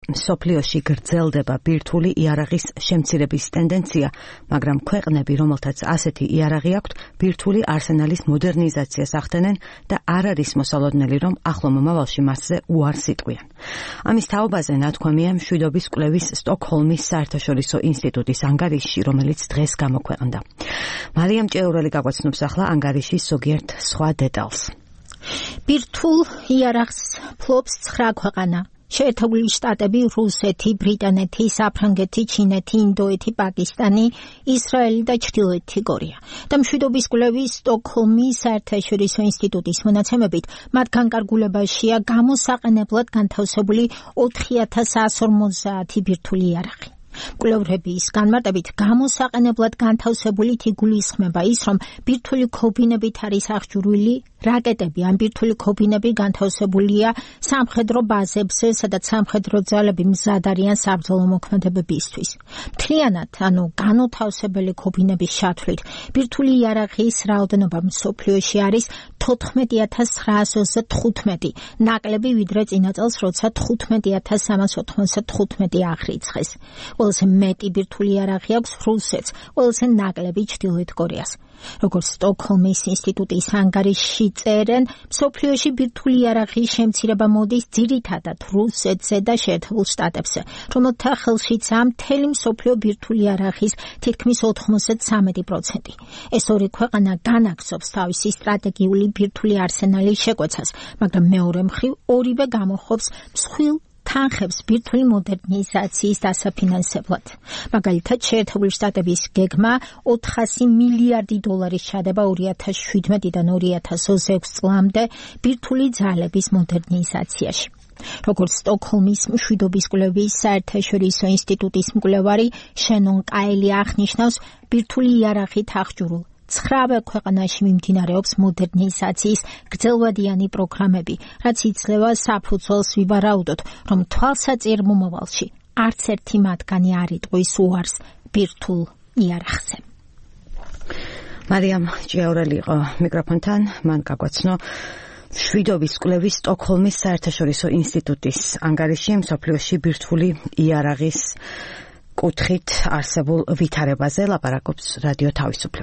მსოფლიოში გრძელდება ბირთვული იარაღის შემცირების ტენდენცია, მაგრამ ქვეყნები, რომელთაც ასეთი იარაღი აქვთ, ბირთვული არსენალის მოდერნიზაციას ახდენენ და არ არის მოსალოდნელი, რომ ახლო მომავალში მასზე უარს იტყვიან. ამის თაობაზე ნათქვამია მშვიდობის კვლევის სტოკჰოლმის საერთაშორისო ინსტიტუტის ანგარიშში, რომელიც დღეს გამოქვეყნდა. მარიამ ჭეურელი გაგვაცნობს ახლა ანგარიშის ზოგიერთ სხვა დეტალს. ბირთვულ იარაღს ფლობს 9 ქვეყანა. შეერთებული შტატები, რუსეთი, ბრიტანეთი, საფრანგეთი, ჩინეთი, ინდოეთი, პაკისტანი, ისრაელი და ჩრდილოეთი კორეა. და მშვიდობის კვლევის სტოკჰოლმის საერთაშორისო ინსტიტუტის მონაცემებით, მათ განკარგულებაშია გამოსაყენებლად განთავსებული 4150 ბირთვული იარაღი. კვლევრების განმარტებით გამოსაყენებლად განთავსებულით იგულისხმება ის, რომ ბირთვული ქობინებით არის აღჭურვილი რაკეტები. ამ ბირთვული ქობინები განთავსებულია სამხედრო ბაზებზე, სადაც სამხედრო ძალები მზად არიან საბრძოლო მოქმედებებისთვის. მთლიანად, განუთავსებელი ქობინების ჩათვლით, ბირთვული იარაღის რაოდენობა მსოფლიოში არის 14925, ნაკლები ვიდრე წინა წელს, როცა 15395 აღრიცხეს. ყველაზე მეტი ბირთვული იარაღი აქვს რუსეთს, ყველაზე ნაკლები ჩრდილოეთ კორეას. როგორც სტოკჰოლმის ინსტიტუტის ანგარიშში წერენ, მსოფლიოში ბირთვული იარაღის შემცირება მოდის ძირითადად რუსეთზე და შეერთებულ შტატებზე, რომელთა ხელშიცაა მთელი მსოფლიო ბირთვული იარაღის თითქმის 93%. ეს ორი ქვეყანა განაგრძობს თავისი სტრატეგიული ბირთვული არსენალის შეკვეცას, მაგრამ მეორე მხრივ ორივე გამოხობს მსხვილ თანხებს ბირთვული მოდერნიზაციის დასაფინანსებლად. მაგალითად, შეერთებული შტატების გეგმა 400 მილიარდი დოლარის ჩადება 2017-დან 2026 წლამდე ბირთვული ძალების მოდერნიზაციაში. როგორც სტოკჰოლმის მშვიდობის კვლევის საერთაშორისო ინსტიტუტის მკვლევარი შენონ კაილი აღნიშნავს, ბირთვული იარაღით აღჭურვილ 9 ქვეყანაში მიმდინარეობს მოდერნიზაციის გრძელვადიანი პროგრამები, რაც იძლევა საფუძველს ვივარაუდოთ, რომ თვალსაჩინო მომავალში არც ერთი მათგანი არ იტყვის უარს ბირთვულ იარაღზე. მარიამ ჭეურელი იყო მიკროფონთან, მან გაგვაცნო მშვიდობის კვლევის სტოკჰოლმის საერთაშორისო ინსტიტუტის ანგარიში მსოფლიოში ბირთვული იარაღის კუთხით არსებულ ვითარებაზე. ლაპარაკობს რადიო თავისუფლება.